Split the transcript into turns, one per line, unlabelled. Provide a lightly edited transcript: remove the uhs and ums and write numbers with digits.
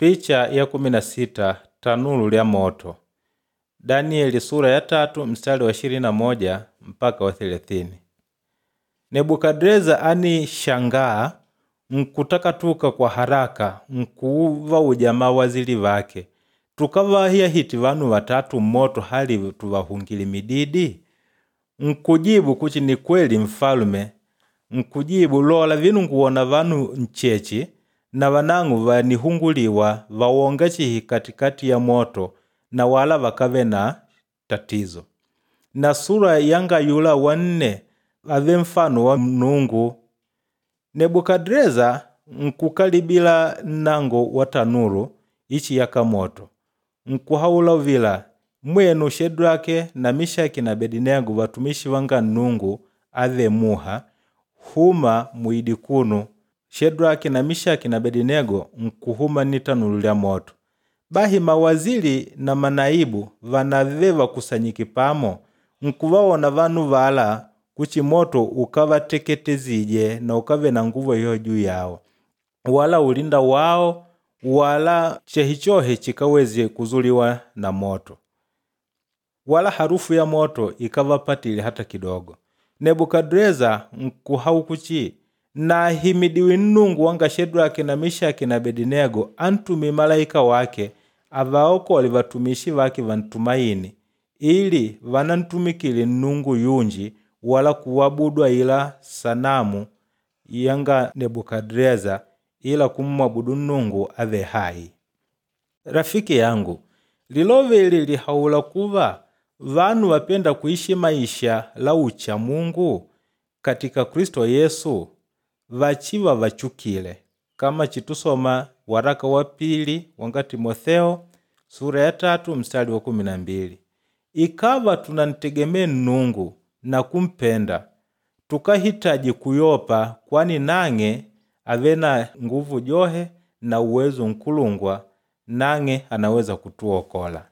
Picha ya 16 tanulu lya moto. Danieli sura ya 3 mstari wa 21 mpaka wa 30. Nebukadreza anishangaa nkutakatuka kwa haraka nkuva mawazili vake, tukavahiyahiti vanu vatatu mmoto hali tuvahungile mididi? Nkujibu kuchi ni kweli mfalume, nkujibu lola vinu nguwona vanu nchechi na vanang'u vanihunguliwa vawonga chihi katikati ya moto na wala vakave na tatizo. Na sura yanga yula wanne ave mfano wa mnungu. Nebukadreza nkukalibila nnango wa tanuru ichi yaka moto nkuhaula uvila mwenu Shedrake na Mishaki na Abedinego vatumishi vanga Nnungu ave muha huma muidi kunu. Shedraki na Mishaki na Abedinego nkuhuma ni tanuru lya moto. Bahi mawazili na manaibu vanave vakusanyike pamo nkuvawona vanu vala kuchi moto ukavateketezije na ukave na nguvu iyo juu yao, wala ulinda wao wala chehichohe chikaweze kuzuliwa na moto, wala harufu ya moto ikavapatile hata kidogo. Nebukadreza nkuhau kuchi nahimidiwi Nnungu wanga Shedraki na Mishaki na Abedinego antumi malaika wake avaokole vatumishi vake vantumaini ili vanantumikile Nnungu yunji wala kuwabudwa ila sanamu yanga Nebukadreza ila kummwabudu Nnungu ave hai. Rafiki yangu, lilove ili lihaula kuva vanu vapenda kuishi maisha la ucha Mungu katika Kristo Yesu vachiva vachukile kama chitusoma waraka wa pili wanga Timotheo sura ya 3 mstari wa 12. Ikava tunantegemee Nnungu na kumpenda tukahitaji kuyopa, kwani nang'e ave na nguvu johe na uwezo nkulungwa, nang'e anaweza kutuokola.